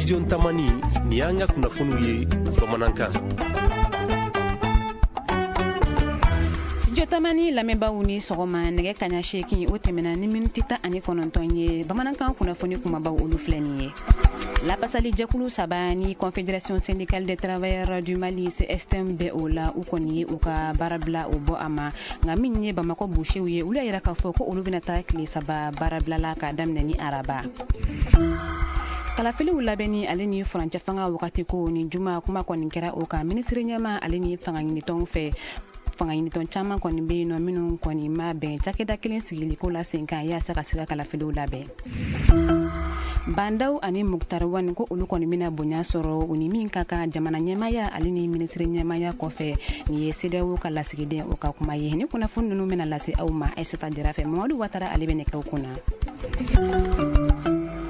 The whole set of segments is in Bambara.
Studio Tamani, nin y'an ka kunnafoniw ye bamanankan. Studio Tamani lamɛnbaaw ni sɔgɔma. Nɛgɛ kaɲa 8, o tɛmɛna ni miniti 19 ye. Bamanankan kunnafoni kumabaw, olu filɛ nin ye. Lapasali jɛkulu saba ni Confédération syndicale des travailleurs du Mali, CSTM, bɛ o la, u kɔni ye u ka baarabila o bɔ a ma. Nka min ye Bamakɔ busew ye, olu y'a yira k'a fɔ ko olu bɛna taa tile 3 baarabila la k'a daminɛ ni araba. Kalafiliw labɛnni ale ni furancɛ fanga wagati ko, ni juma kuma kɔni kɛra o kan minisiri ɲɛma ale ni fanga ɲinitɔnw fɛ. Fanga ɲinitɔn caman kɔni bɛ yen nɔ minnu kɔni ma bɛn cakɛda kelen sigiliko la sen kan yaasa ka se ka kalafiliw labɛn. Bah N'Daw ani Moctar Ouane, ko olu kɔni bɛna bonya sɔrɔ u ni min ka kan jamana ɲɛmaya ale ni minisiri ɲɛmaya kɔfɛ. Nin ye CEDEAO ka lasigiden o ka kuma ye. Ni kunnafoni ninnu bɛna lase aw ma Aïssata Jara fɛ. Mamadu Watara, ale bɛ nɛgɛw kunna.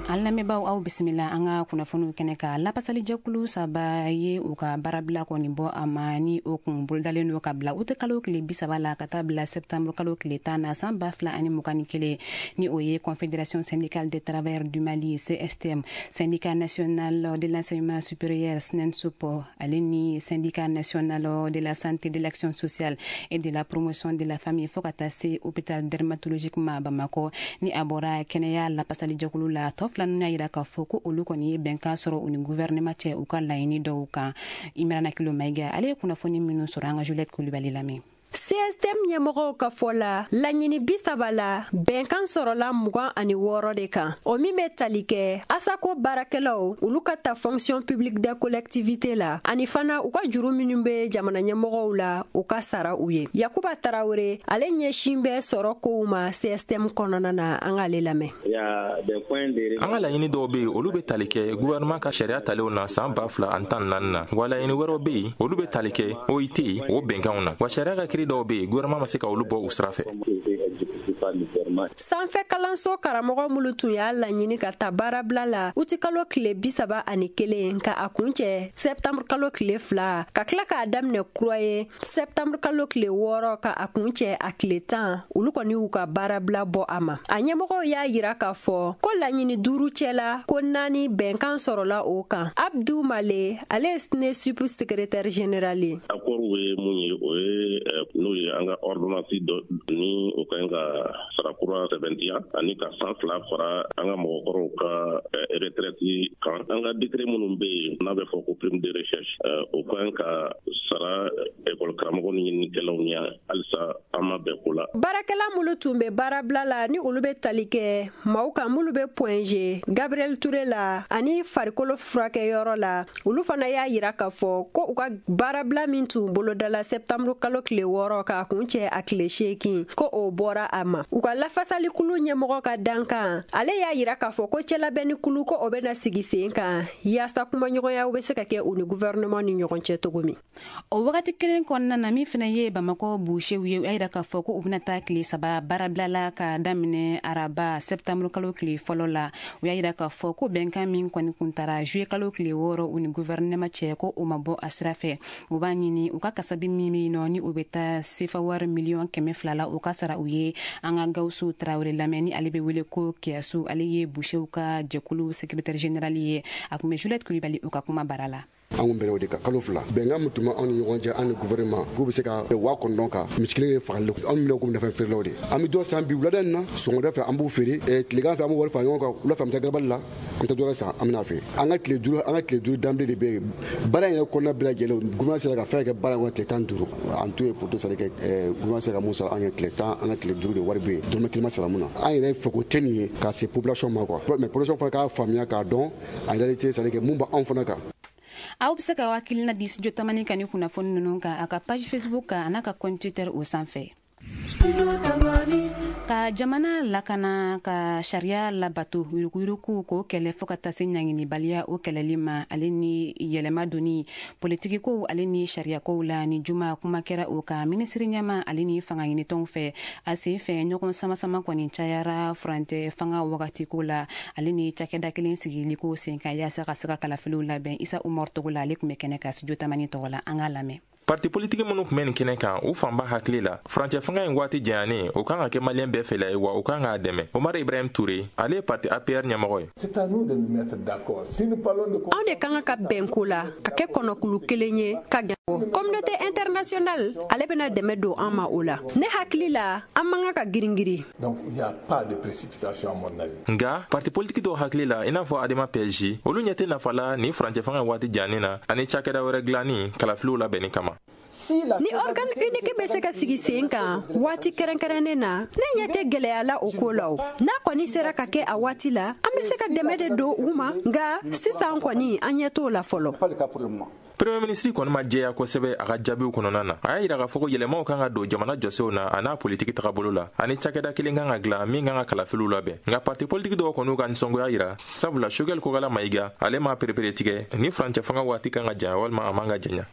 An lamɛnbaaw, aw bisimila an ka kunnafoniw kɛnɛ kan. Lapasalijɛkulu saba ye u ka baarabila kɔni bɔ a ma, ni o kun bolodalen don ka bila uti kalo tile 30 la ka taa bila septembre kalo tile 10 na san 2021, ni o ye Confédération syndicale des travailleurs du Mali, CSTM, Syndicat national de l'enseignement supérieur, SNENSUP, ale ni Syndicat national de la santé, de l'action sociale et de la promotion de la famille, fo ka taa se hôpital dermatologique ma Bamakɔ. Ni a bɔra kɛnɛya lapasalijɛkulu la, tɔ fila ninnu y'a yira k'a fɔ ko olu kɔni ye bɛnkan sɔrɔ u ni gouvernement cɛ u ka laɲini dɔw kan. Imirana Kilo Mayiga, ale ye kunnafoni minnu sɔrɔ, an ka Juliette Kulibali lamɛn. CSTM ɲɛmɔgɔw ka fɔ la, laɲini 30 la, bɛnkan sɔrɔla 26 de kan, o min bɛ tali kɛ ASACO baarakɛlaw olu ka ta fonction publique des collectivités la, ani fana u ka juru minnu bɛ jamana ɲɛmɔgɔw la, u ka sara u ye. Yakuba Tarawele, ale ɲɛsin bɛ sɔrɔ kow ma CSTM kɔnɔna na, an k'ale lamɛn. An ka laɲini dɔw be yen, olu be tali kɛ gouvernement ka sariya talenw na saan 2014 na. Wa laɲini wɛrɛw be yen, olu be tali kɛ OIT o bɛnkanw na. Wa sariya ka kiri dɔw be yen, gouvernement ma se ka olu bɔ u sira fɛ. Sanfɛ kalanso karamɔgɔ minnu tun y'a laɲini ka ta baarabila la uti kalo tile 31 ka a kuncɛ sɛptanburu kalo tile 2, ka tila k'a daminɛ kura ye sɛptanburu kalo tile 6 ka a kuncɛ a tile 10, olu kɔni y'u ka baarabila bɔ a ma. A ɲɛmɔgɔw y'a yira k'a fɔ ko laɲini duuru cɛla, ko naani bɛnkan sɔrɔla o kan. Abdu Male, ale ye SNESUP secrétaire général ye. Accord ye mun ye? O ye n'o ye an ka ordonnance dɔ ni o ka ɲi ka sara kura sɛbɛntiya ani ka san 2 fara an ka mɔgɔkɔrɔw ka retraite kan. An ka décret minnu bɛ yen n'a bɛ fɔ ko prime de recherche, o ka ɲi ka sara école karamɔgɔ ni ɲininikɛlaw ɲɛ, halisa an ma bɛn ko la. Baarakɛla minnu tun bɛ baarabila la, ni olu bɛ tali kɛ maaw kan minnu bɛ Point G, Gabriel Touré la ani farikolo furakɛyɔrɔ la, olu fana y'a yira k'a fɔ ko u ka baarabila min tun bolodala sɛptanburu kalo tile 6 k'a kuncɛ a tile 8, ko o bɔra a ma. U ka lafasalikulu ɲɛmɔgɔ ka dankan, ale y'a yira k'a fɔ ko cɛlabɛnnikulu, ko o bɛna sigi sen kan yaasa kumaɲɔgɔnyaw bɛ se ka kɛ u ni gouvernement ni ɲɔgɔn cɛ cogo min. O wagati kelen kɔnɔna na, min fana ye Bamakɔ busew ye, u y'a yira k'a fɔ ko u bɛna taa tile 3 baarabila la ka daminɛ araba sɛptanburu kalo tile 1 la. U y'a yira k'a fɔ ko bɛnkan min kɔni kuntara juillet kalo tile 6 u ni gouvernement cɛ, ko o ma bɔ a sira fɛ. U b'a ɲini u ka kasabi min bɛ yen nɔ, ni o bɛ taa sefa wari miliyɔn 200 la, o ka sara u ye. An ka Gawusu Tarawele lamɛn, ni ale bɛ wele ko Kiyasu, ale ye busew ka jɛkulu secrétaire général ye. A tun bɛ Juliette Kulibali u ka kuma bara la. An kun bɛnna o de kan kalo 2. Bɛnkan min tun bɛ anw ni ɲɔgɔn cɛ, an ni gouvernement, k'u bɛ se ka 9000 kan misi kelen ye fagali. Anw minɛ komi nafɛn feerelaw de. An bɛ dɔ san bi wulada in na, sɔgɔmada fɛ an b'u feere, tilegan fɛ an b'u wari fara ɲɔgɔn kan, wula fɛ an bɛ taa garabali la, an bɛ taa dɔ san, an bɛna feere. An ka tile 5, an ka tile 5 danbile de bɛ yen. Baara in yɛrɛ kɔnɔna bɛɛ lajɛlen, gouvernement sera ka fɛn kɛ baara in kɔnɔ tile 15 en tout et pour tout, c'est à dire que gouvernement sera ka mun sara an ye tile 10, an ka tile 5 de wari bɛ yen, dɔrɔmɛ kelen ma sara mun na. An yɛrɛ fɛ ko tɛ nin ye ka se population ma quoi, mais population fana k'a faamuya k'a dɔn en réalité, c'est à dire que mun b'anw fana kan. Aw bɛ se ka hakilina di Studio Tamani ka ni kunnafoni ninnu kan a ka page Facebook kan a n'a ka compte Twitter o sanfɛ. Ka jamana lakana, ka sariya labato, yuruguyurugu k'o kɛlɛ, fo ka taa se ɲanginibaliya o kɛlɛli ma, ale ni yɛlɛma donni politikikow ale ni sariyakow la, ni juma kuma kɛra o kan minisiri ɲɛma ale ni fanga ɲinitɔnw fɛ. A sen fɛ, ɲɔgɔn sama-sama kɔni cayara furancɛ fanga wagatiko la ale ni cakɛda kelen sigiliko sen kan yaasa ka se ka kalafiliw labɛn. Isa Umar Togo la, ale tun bɛ kɛnɛ ka Studio Tamani tɔgɔ la. An k'a lamɛn. Parti politiki minnu tun bɛ nin kɛnɛ kan, u fanba hakili la, furancɛ fanga in waati janyanen, o kan ka kɛ Maliyɛn bɛɛ fɛla ye, wa o kan k'a dɛmɛ. Omar Ibrahim Ture, ale ye parti APR ɲɛmɔgɔ ye. Anw de kan ka bɛn ko la, ka kɛ kɔnɔkulu kelen ye, ka communauté internationale ale bɛna dɛmɛ don an ma o la. Ne hakili la, an man kan ka girin-girin. Nka parti politiki dɔw hakili la, i n'a fɔ Adema PSG, olu ɲɛ tɛ nafa la nin furancɛ fanga waati jannen na ani cakɛda wɛrɛ dilanni kalafiliw labɛnni kama. Ni organe unique bɛ se ka sigi sen kan waati kɛrɛnkɛrɛnnen na, ne ɲɛ tɛ gɛlɛya la o ko la. O n'a kɔni sera ka kɛ a waati la, an bɛ se ka dɛmɛ de don u ma, nka sisan kɔni an ɲɛ t'o la fɔlɔ. Premier ministre kɔni ma jɛya kosɛbɛ a ka jaabiw kɔnɔna na. A y'a yira k'a fɔ ko yɛlɛmaw kan ka don jamana jɔsenw na a n'a politiki tagabolo la, ani cakɛda kelen kan ka dilan min kan ka kalafiliw labɛn. Nka parti politiki dɔw kɔni ka nisɔngoya yira, sabula Choguel Kokala Mayiga ale ma perepere tigɛ ni furancɛ fanga waati kan ka janya walima a man ka janya.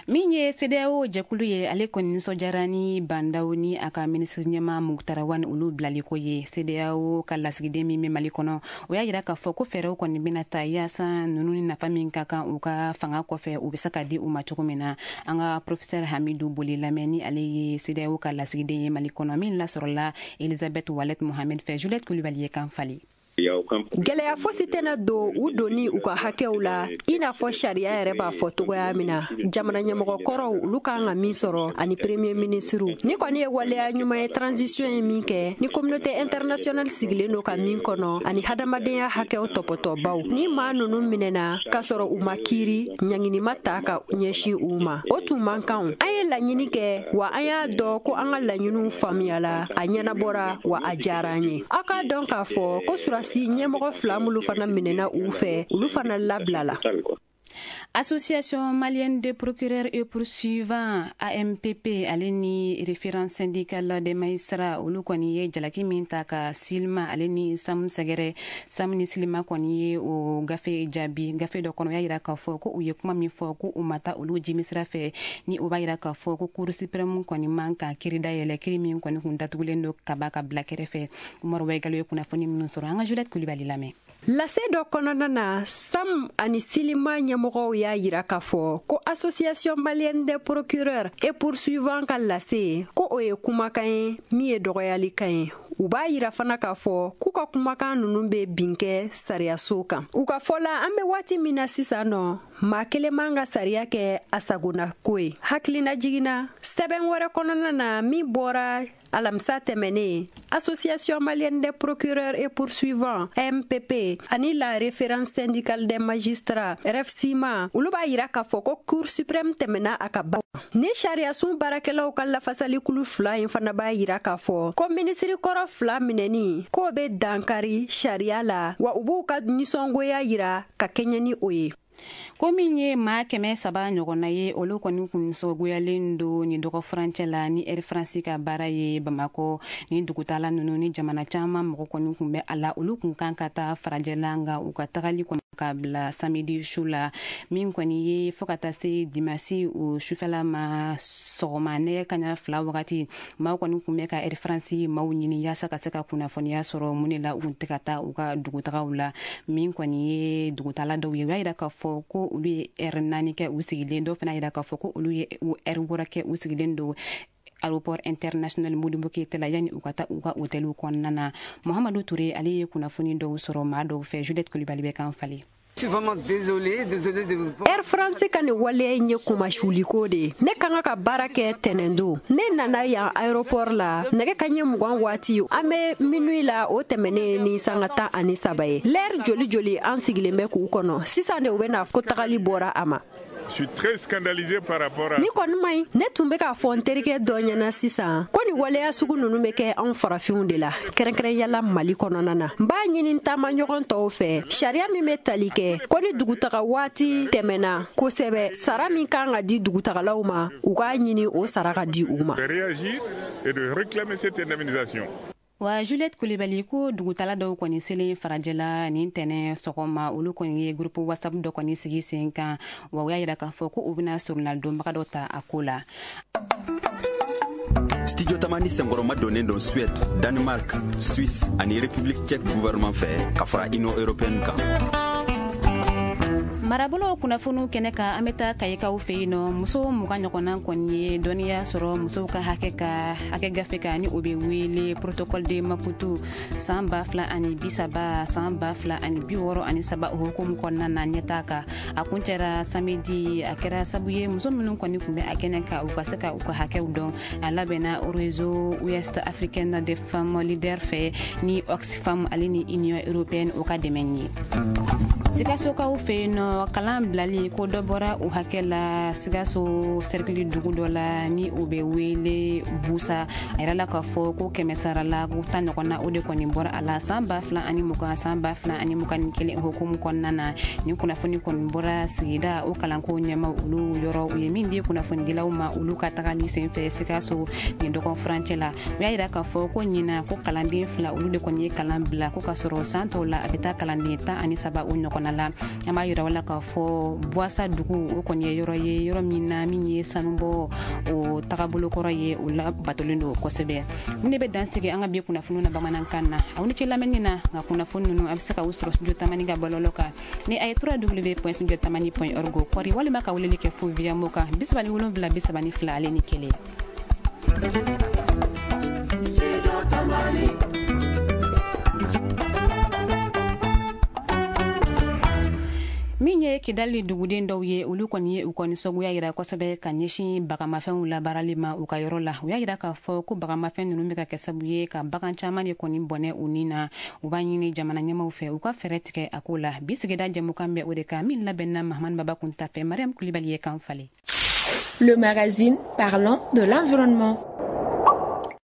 Min ye CEDEAO jɛkulu ye, ale kɔni nisɔndiyara ni Bah N'Daw ni a ka minisiri ɲɛma Moctar Ouane olu bilaliko ye. CEDEAO ka lasigiden min bɛ Mali kɔnɔ, o y'a yira k'a fɔ ko fɛɛrɛw kɔni bɛna ta yaasa ninnu ni nafa min ka kan u ka fanga kɔfɛ, u bɛ se ka di u ma cogo min na. An ka professeur Hamidou Boli lamɛn, ni ale ye CEDEAO ka lasigiden ye Mali kɔnɔ, min lasɔrɔla Elisabeth Walet Mohamed fɛ. Juliette Coulibaly ye kan fali. Gɛlɛya fosi tɛna don u donni u ka hakɛw la, i n'a fɔ sariya yɛrɛ b'a fɔ togoya min na, jamana ɲɛmɔgɔkɔrɔw olu kan ka min sɔrɔ ani premier ministre. Ni kɔni ye waleya ɲuman ye transition ye min kɛ, ni communauté internationale sigilen don ka min kɔnɔ, ani hadamadenya hakɛw tɔpɔtɔbaw. Ni maa ninnu minɛna k'a sɔrɔ u ma kiiri, ɲangini ma ta ka ɲɛsin u ma, o tun man kan. An ye laɲini kɛ, wa an y'a dɔn ko an ka laɲiniw faamuyala, a ɲɛnabɔra, wa a diyara an ye. Aw k'a dɔn k'a fɔ ko surasi ɲɛmɔgɔ fila minnu fana minɛna u fɛ, olu fana labilala. Association malienne de procureurs et poursuivants AMPP ale ni Référence syndicale des magistrats, olu kɔni ye jalaki min ta ka Silima ale ni Sam sɛgɛrɛ. Sam ni Silima kɔni ye o gafe jaabi gafe dɔ kɔnɔ. O y'a yira k'a fɔ ko u ye kuma min fɔ, ko u ma taa olu jimisira fɛ, ni o b'a yira k'a fɔ ko Cour suprême kɔni man ka kiiri dayɛlɛ, kiiri min kɔni kun datugulen don kaba ka bila kɛrɛfɛ. Umaru Wayigalo ye kunnafoni minnu sɔrɔ, an ka Juliette Coulibaly lamɛn. Lase dɔ kɔnɔna na, Sam ani Silima ɲɛmɔgɔw y'a yira k'a fɔ ko Association malienne des procureurs et poursuivants ka lase, ko o ye kumakan ye min ye dɔgɔyalikan ye. U b'a yira fana k'a fɔ k'u ka kumakan ninnu bɛ bin kɛ sariyaso kan. U ka fɔ la, an bɛ waati min na sisan nɔ, maa kelen man ka sariya kɛ a sagona ko ye. Hakilina jiginna sɛbɛn wɛrɛ kɔnɔna na min bɔra alamisa tɛmɛnen, Association malienne des procureurs et poursuivants MPP ani la Référence syndicale des magistrats REFSIMA, olu b'a yira k'a fɔ ko Cour suprême tɛmɛna a ka ba ni sariyasun baarakɛlaw ka lafasalikulu fila in fana b'a yira k'a fɔ ko minisiri kɔrɔ fila minɛni k'o bɛ dankari sariya la, wa u b'u ka nisɔngoya yira ka kɛɲɛ ni o ye. Ko min ye maa 300 ɲɔgɔnna ye, olu kɔni kun nisɔngoyalen don ni dɔgɔ furancɛ la ni Air France ka baara ye Bamakɔ. Ni dugutala ninnu ni jamana caman mɔgɔ kɔni kun bɛ a la, olu kun kan ka taa farajɛla, nka u ka tagali kɔni ka bila samedi su la, min kɔni ye fo ka taa se dimasi o sufɛla ma sɔgɔma nɛgɛ kaɲa 2 wagati. Maaw kɔni kun bɛ ka Air France maaw ɲini yaasa ka se ka kunnafoniya sɔrɔ mun de la u kun tɛ ka taa u ka dugutagaw la. Min kɔni ye dugutala dɔw ye, u y'a yira k'a fɔ ko olu ye ɛri 4 kɛ u sigilen, dɔw fana yira k'a fɔ ko olu ye ɛri 6 kɛ u sigilen don aéroport international Modibo Keïta la yanni u ka taa u ka hôteliw kɔnɔna na. Mohamadu Touré, ale ye kunnafoni dɔw sɔrɔ maa dɔw fɛ. Juliette Coulibaly bɛ kan falen. Air France ka nin waleya in ye kumasuliko de ye. Ne ka kan ka baara kɛ tɛnɛndon, ne nana yan aéroport la nɛgɛ kaɲɛ 20 waati, an bɛ minuit la, o tɛmɛnen ni sanga 13 ye. Lɛri joli joli an sigilen bɛ k'u kɔnɔ, sisan de u bɛna ko tagali bɔra a ma. Je suis très scandalisé par rapport à. Ni kɔni ma ɲi, ne tun bɛ k'a fɔ n terikɛ dɔ ɲɛna sisan ko nin waleya sugu ninnu bɛ kɛ anw farafinw de la, kɛrɛnkɛrɛnyala Mali kɔnɔna na. N b'a ɲini taama ɲɔgɔn tɔw fɛ, sariya min bɛ tali kɛ ko ni dugutaga waati tɛmɛna kosɛbɛ, sara min kan ka di dugutagalaw ma, u k'a ɲini o sara ka di u ma. Réagir et de réclamer cette indemnisation. Wa Juliette Coulibaly, ko dugutala dɔw kɔni selen farajɛla nin tɛnɛ sɔgɔma, olu kɔni ye groupe WhatsApp dɔ kɔni sigi sen kan, wa u y'a yira k'a fɔ ko u bɛna surunalidonbaga dɔ ta a ko la. Studio Tamani senkɔrɔma donnen don Suède, Danemark, Suisse ani République tchèque gouvernement fɛ ka fara Union européenne kan. Marabolo kunnafoniw kɛnɛ kan, an bɛ taa Kayikaw fɛ yen nɔ. Muso 20 ɲɔgɔnna kɔni ye dɔnniya sɔrɔ musow ka hakɛ ka hakɛ gafe kan, ni o bɛ wele Protocole de Maputo san 2030 san 2063, o hukumu kɔnɔna na ɲɛtaa kan. A kuncɛra samedi. A kɛra sabu ye muso minnu kɔni tun bɛ a kɛnɛ kan, u ka se ka u ka hakɛw dɔn. A labɛnna Réseau Ouest Africaine des Femmes Leaders fɛ ni Oxfam ale ni Union Européenne o ka dɛmɛ ye. Sikasokaw fɛ yen nɔ, kalan bilali ko dɔ bɔra o hakɛ la Sikaso cercle dugu dɔ la, ni o bɛ wele Busa. A yirala k'a fɔ ko 100 sara la, ko 10 ɲɔgɔnna, o de kɔni bɔra a la san 2020 san 2021 hukumu kɔnɔna na. Nin kunnafoni kɔni bɔra sigida o kalanko ɲɛmaw olu yɔrɔ, u ye min di kunnafonidilaw ma olu ka tagali senfɛ Sikaso nin dɔgɔn furancɛ la. U y'a yira k'a fɔ ko ɲina ko kalanden 2 olu de kɔni ye kalan bila, ko ka sɔrɔ san tɔw la a bɛ taa kalanden 13 o ɲɔgɔnna la. An b'a yira la k'a fɔ Buwasa dugu o kɔni ye yɔrɔ ye, yɔrɔ min na min ye sanubɔ o tagabolo kɔrɔ ye, o la batolen don kosɛbɛ. Ni ne bɛ dan sigi an ka bi kunnafoniw na bamanankan na. Aw ni ce lamɛnni na. Nka kunnafoni ninnu, a bɛ se ka u sɔrɔ Studio Tamani ka bɔlɔlɔ kan ni a ye www.studiotamani.org kɔri, walima ka weleli kɛ fo via mo kan 37 32 ale ni 1. Min ye Kidali duguden dɔw ye, olu kɔni ye u kɔni sagoya yira kosɛbɛ ka ɲɛsin bagamafɛnw labaarali ma u ka yɔrɔ la. U y'a yira k'a fɔ ko bagamafɛn ninnu bɛ ka kɛ sababu ye ka bagan caman de kɔni bɔnɛ u ni na. U b'a ɲini jamana ɲɛmaw fɛ u ka fɛɛrɛ tigɛ a ko la. Bi sigida jɛmukan bɛ o de kan, min labɛnna Mahamani Baba Kunta fɛ, Mariam Kulibali ye kan falen. Le magazine parlant de l'environnement.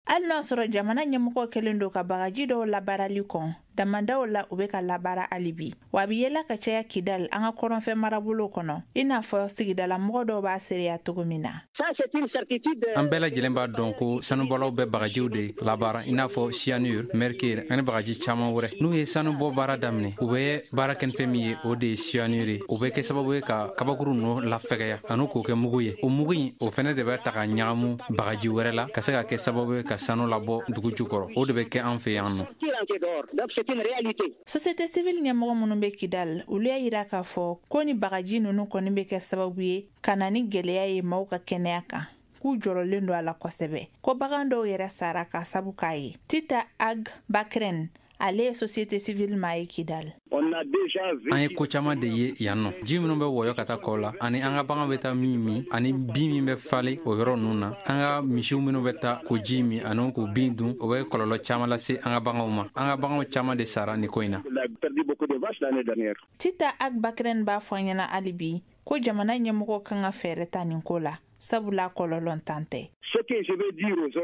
Hali n'a sɔrɔ jamana ɲɛmɔgɔ kɛlen don ka bagaji dɔw labaarali kɔn, damandaw la u bɛ ka labaara hali bi, wa a bɛ yela ka caya Kidal, an ka kɔrɔnfɛ marabolo kɔnɔ, i n'a fɔ sigidalamɔgɔ dɔw b'a seereya cogo min na. An bɛɛ lajɛlen b'a dɔn ko sanubɔlaw bɛ bagajiw de labaara, i n'a fɔ cyanure, mercure ani bagaji caman wɛrɛ. N'u ye sanubɔ baara daminɛ, u bɛ baara kɛ ni fɛn min ye, o de ye cyanure ye. O bɛ kɛ sababu ye ka kabakuru ninnu lafɛgɛya ani k'o kɛ mugu ye. O mugu in, o fɛnɛ de bɛ ta ka ɲagamu bagaji wɛrɛ la ka se ka kɛ sababu ye ka sanu labɔ dugu jukɔrɔ. O de bɛ kɛ an fɛ yan nɔ. Société civile ɲɛmɔgɔ minnu bɛ Kidal, olu y'a yira k'a fɔ ko ni bagaji ninnu kɔni bɛ kɛ sababu ye ka na ni gɛlɛya ye maaw ka kɛnɛya kan, k'u jɔrɔlen don a la kosɛbɛ, ko bagan dɔw yɛrɛ sara k'a sabu k'a ye. Tita Ag Bakren, ale ye société civile maa ye Kidal. An ye ko caman de ye yan nɔ. Ji minnu bɛ wɔyɔ ka taa kɔ la, ani an ka bagan bɛ taa min min, ani bin min bɛ falen o yɔrɔ ninnu na, an ka misiw minnu bɛ taa k'o ji min ani k'o bin dun, o bɛ kɔlɔlɔ caman lase an ka baganw ma. An ka baganw caman de sara nin ko in na. Tita Ag Bakren b'a fɔ an ɲɛna hali bi ko jamana ɲɛmɔgɔw kan ka fɛɛrɛ ta nin ko la, sabula kɔlɔlɔ tan tɛ.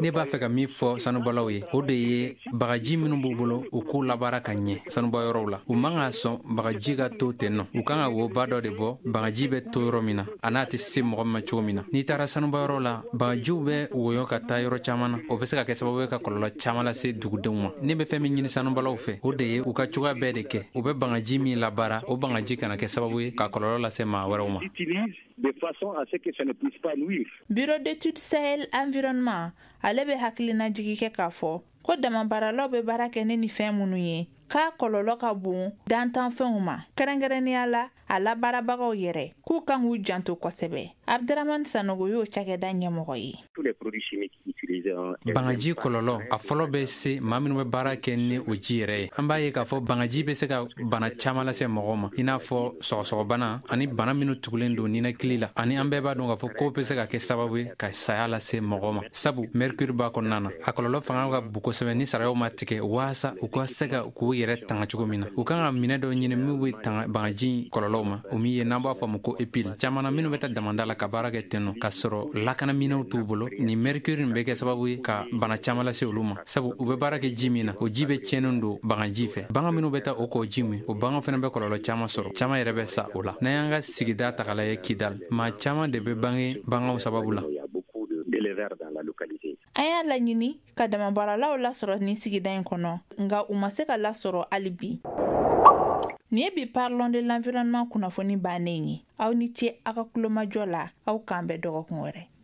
Ne b'a fɛ ka min fɔ sanubɔlaw ye, o de ye bagaji minnu b'u bolo, u k'u labaara ka ɲɛ sanubɔyɔrɔw la. U man ka sɔn bagaji ka to ten nɔ. U kan ka woba dɔ de bɔ bagaji bɛ to yɔrɔ min na, a n'a tɛ se mɔgɔ ma cogo min na. N'i taara sanubɔyɔrɔ la, bagajiw bɛ woyɔ ka taa yɔrɔ caman na. O bɛ se ka kɛ sababu ye ka kɔlɔlɔ caman lase dugudenw ma. Ne bɛ fɛn min ɲini sanubɔlaw fɛ, o de ye u ka cogoya bɛɛ de kɛ u bɛ bagaji min labaara, o bagaji kana kɛ sababu ye ka kɔlɔlɔ lase maa wɛrɛw ma. Bureau d'études Sahel Environnement, ale bɛ hakilinajigi kɛ k'a fɔ ko damabaaralaw bɛ baara kɛ ne ni fɛn minnu ye, k'a kɔlɔlɔ ka bon dantanfɛnw ma, kɛrɛnkɛrɛnnenya la a labaarabagaw yɛrɛ, k'u kan k'u janto kosɛbɛ. Abdramane Sanogo y'o cakɛda ɲɛmɔgɔ ye. Bagaji kɔlɔlɔ a fɔlɔ bɛ se maa minnu bɛ baara kɛ ni o ji yɛrɛ ye. An b'a ye k'a fɔ bagaji bɛ se ka bana caman lase mɔgɔw ma, i n'a fɔ sɔgɔsɔgɔbana ani bana minnu tugulen don ninakili la, ani an bɛɛ b'a dɔn k'a fɔ k'o bɛ se ka kɛ sababu ye ka saya lase mɔgɔ ma, sabu mercure b'a kɔnɔna na. A kɔlɔlɔ fanga ka bon kosɛbɛ ni sarayaw ma tigɛ waasa u ka se ka k'u yɛrɛ tanga cogo min na. U kan ka minɛ dɔ ɲini min bɛ tanga bagaji kɔlɔlɔw ma, o min ye n'an b'a fɔ a ma ko épile. Caman na minnu bɛ taa damanda la ka baara kɛ ten nɔ, k'a sɔrɔ lakanaminɛw t'u bolo, ni mercure nin bɛ kɛ sababu ye ka bana caman lase olu ma, sabu u bɛ baara kɛ ji min na, o ji bɛ tiɲɛnen don bagaji fɛ. Bagan minnu bɛ taa o kɔ ji min, o bagan fana bɛ kɔlɔlɔ caman sɔrɔ, caman yɛrɛ bɛ sa o la. N'an y'an ka sigida ta k'a lajɛ Kidal, maa caman de bɛ bange baganw sababu la. An y'a laɲini ka damabaaralaw lasɔrɔ nin sigida in kɔnɔ, nka u ma se ka lasɔrɔ hali bi. Nin ye bi Parlons de l'environnement kunnafoni bannen ye. Aw ni ce aw ka kulomajɔ la, aw k'an bɛn dɔgɔkun wɛrɛ.